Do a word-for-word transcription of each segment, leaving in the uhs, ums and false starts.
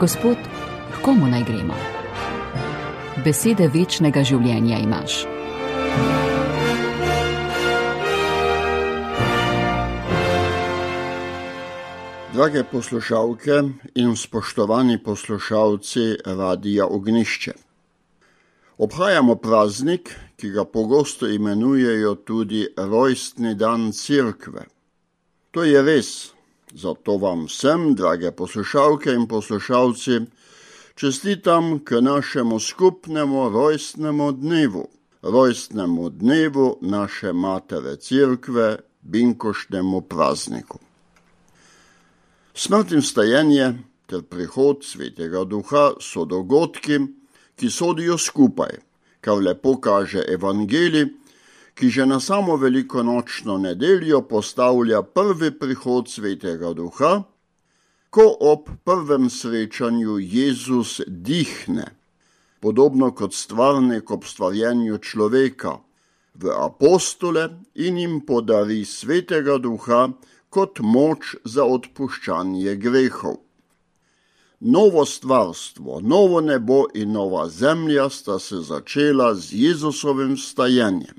Gospod, k komu naj gremo? Besede večnega življenja imaš. Drage poslušalke in spoštovani poslušalci Radia Ognjišče. Obhajamo praznik, ki ga pogosto imenujejo tudi rojstni dan Cerkve. To je res, zato vam vsem, drage poslušalke in poslušalci, čestitam k našemu skupnemu rojstnemu dnevu, rojstnemu dnevu naše Matere Cerkve, binkoštnemu prazniku. Smrt in vstajenje ter prihod Svetega Duha so dogodki, ki sodijo skupaj, kar lepo kaže Evangelij, ki že na samo velikonočno nedeljo postavlja prvi prihod Svetega Duha, ko ob prvem srečanju Jezus dihne, podobno kot stvarnik ob stvarjenju človeka, v apostole in jim podari Svetega Duha kot moč za odpuščanje grehov. Novo stvarstvo, novo nebo in nova zemlja sta se začela z Jezusovim vstajenjem.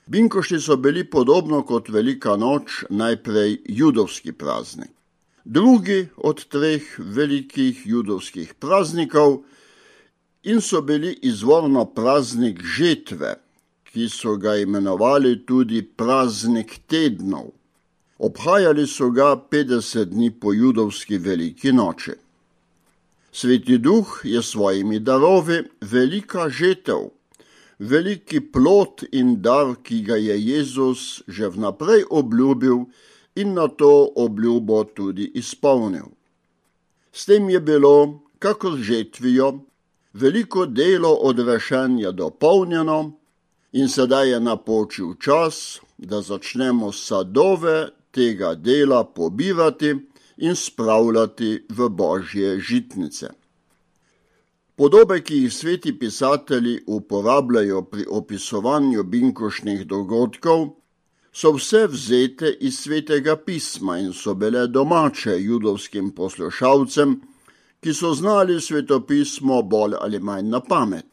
Binkošti so bili podobno kot Velika noč najprej judovski praznik. Drugi od treh velikih judovskih praznikov in so bili izvorno praznik žetve, ki so ga imenovali tudi praznik tednov. Obhajali so ga petdeset dni po judovski veliki noči. Sveti Duh je svojimi darovi velika žetev, veliki plod in dar, ki ga je Jezus že vnaprej obljubil in na to obljubo tudi izpolnil. S tem je bilo, kakor žetvijo, veliko delo odrešenja dopolnjeno in sedaj je napočil čas, da začnemo sadove tega dela pobirati in spravljati v Božje žitnice. Podobe, ki jih sveti pisatelji uporabljajo pri opisovanju binkoštnih dogodkov, so vse vzete iz Svetega pisma in so bile domače judovskim poslušalcem, ki so znali svetopismo bolj ali manj na pamet.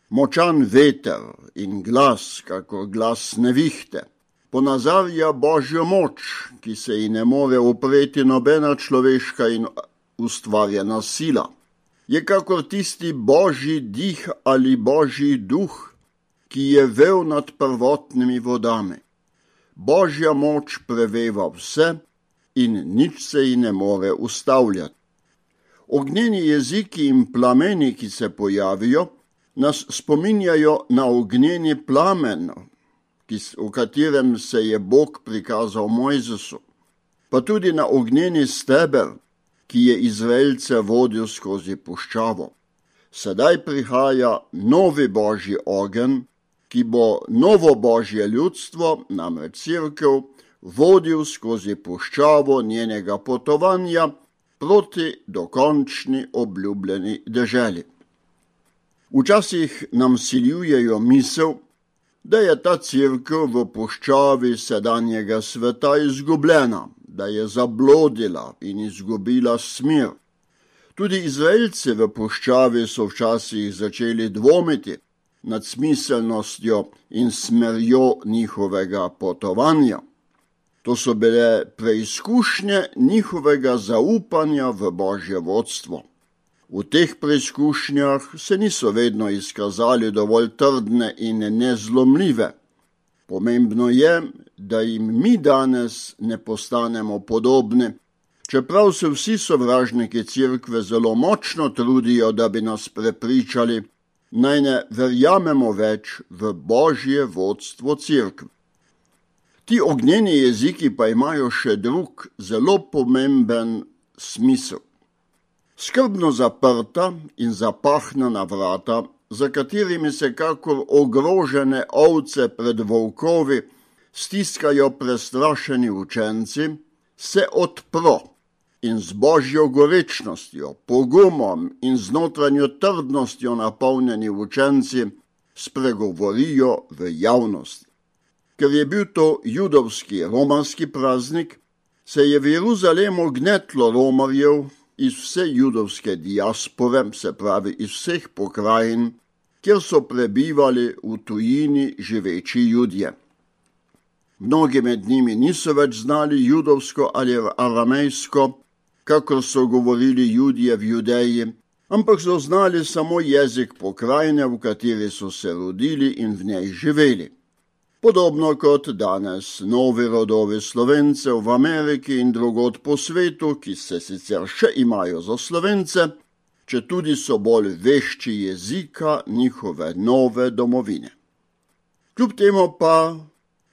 Močan veter in glas, kakor glas nevihte, ponazarja Božjo moč, ki se ji ne more upreti nobena človeška in ustvarjena sila. Je kakor tisti Božji dih ali Božji duh, ki je vel nad prvotnimi vodami. Božja moč preveva vse in nič se ji ne more ustavljati. Ognjeni jeziki in plameni, ki se pojavijo, nas spominjajo na ognjeni plamen, v katerem se je Bog prikazal Mojzesu, pa tudi na ognjeni steber, ki je Izraelce vodil skozi puščavo. Sedaj prihaja novi Božji ogenj, ki bo novo Božje ljudstvo, namreč Cerkev, vodil skozi puščavo njenega potovanja proti dokončni obljubljeni deželi. Včasih nam siljujejo misel, da je ta Cerkev v puščavi sedanjega sveta izgubljena, da je zablodila in izgubila smer. Tudi Izraelci v puščavi so včasih začeli dvomiti nad smiselnostjo in smerjo njihovega potovanja. To so bile preizkušnje njihovega zaupanja v Božje vodstvo. V teh preizkušnjah se niso vedno izkazali dovolj trdne in nezlomljive. Pomembno je, da jim mi danes ne postanemo podobni, čeprav se vsi sovražniki Cerkve zelo močno trudijo, da bi nas prepričali, naj ne verjamemo več v Božje vodstvo Cerkve. Ti ognjeni jeziki pa imajo še drug, zelo pomemben smisel. Skrbno zaprta in zapahnjena vrata, za katerimi se kakor ogrožene ovce pred volkovi stiskajo prestrašeni učenci, se odpro in z Božjo gorečnostjo, pogumom in z notranjo trdnostjo napolnjeni učenci spregovorijo v javnosti. Ker je bil to judovski romarski praznik, se je v Jeruzalemu gnetlo romarjev, iz vse judovske diaspore, se pravi iz vseh pokrajin, kjer so prebivali v tujini živeči Judje. Mnogi med njimi niso več znali judovsko ali aramejsko, kakor so govorili Judje v Judeji, ampak so znali samo jezik pokrajine, v kateri so se rodili in v njej živeli. Podobno kot danes novi rodovi Slovencev v Ameriki in drugod po svetu, ki se sicer še imajo za Slovence, četudi so bolj vešči jezika njihove nove domovine. Kljub temu pa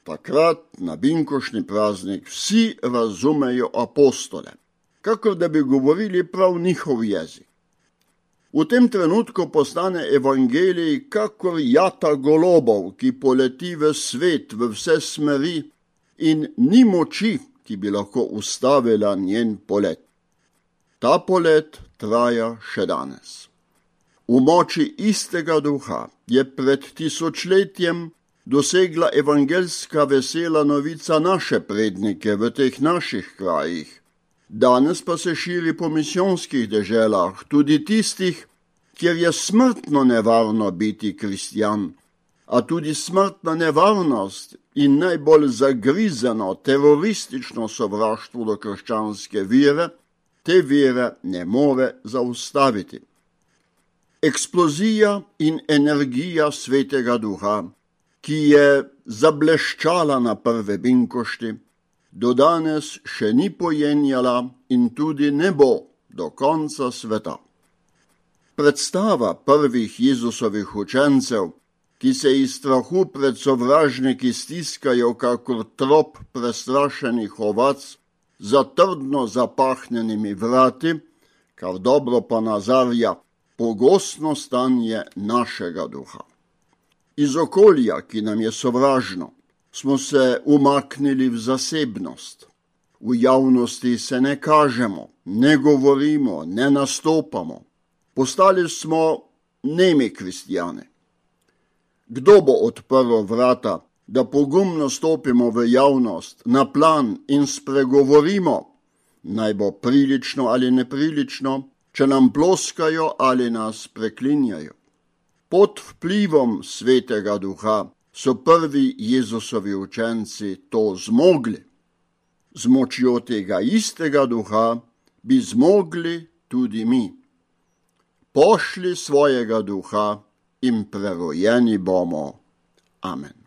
takrat na binkoštni praznik vsi razumejo apostole, kakor da bi govorili prav njihov jezik. V tem trenutku postane evangelij kakor jata golobov, ki poleti v svet v vse smeri in ni moči, ki bi lahko ustavila njen polet. Ta polet traja še danes. V moči istega duha je pred tisočletjem dosegla evangelska vesela novica naše prednike v teh naših krajih. Danes pa se širi po misijonskih deželah, tudi tistih, kjer je smrtno nevarno biti kristjan, a tudi smrtna nevarnost in najbolj zagrizeno teroristično sovraštvo do krščanske vere, te vere ne more zaustaviti. Eksplozija in energija Svetega Duha, ki je zableščala na prve binkošti, do danes še ni pojenjala in tudi ne bo do konca sveta. Predstava prvih Jezusovih učencev, ki se iz strahu pred sovražniki stiskajo kakor trop prestrašenih ovac za trdno zapahnjenimi vrati, kar dobro ponazarja pogostno stanje našega duha. Iz okolja, ki nam je sovražno, smo se umaknili v zasebnost. V javnosti se ne kažemo, ne govorimo, ne nastopamo. Postali smo nemi kristjani. Kdo bo odprl vrata, da pogumno stopimo v javnost, na plan in spregovorimo, naj bo prilično ali neprilično, če nam ploskajo ali nas preklinjajo? Pod vplivom Svetega Duha so prvi Jezusovi učenci to zmogli. Z močjo tega istega duha bi zmogli tudi mi. Pošli svojega duha in prerojeni bomo. Amen.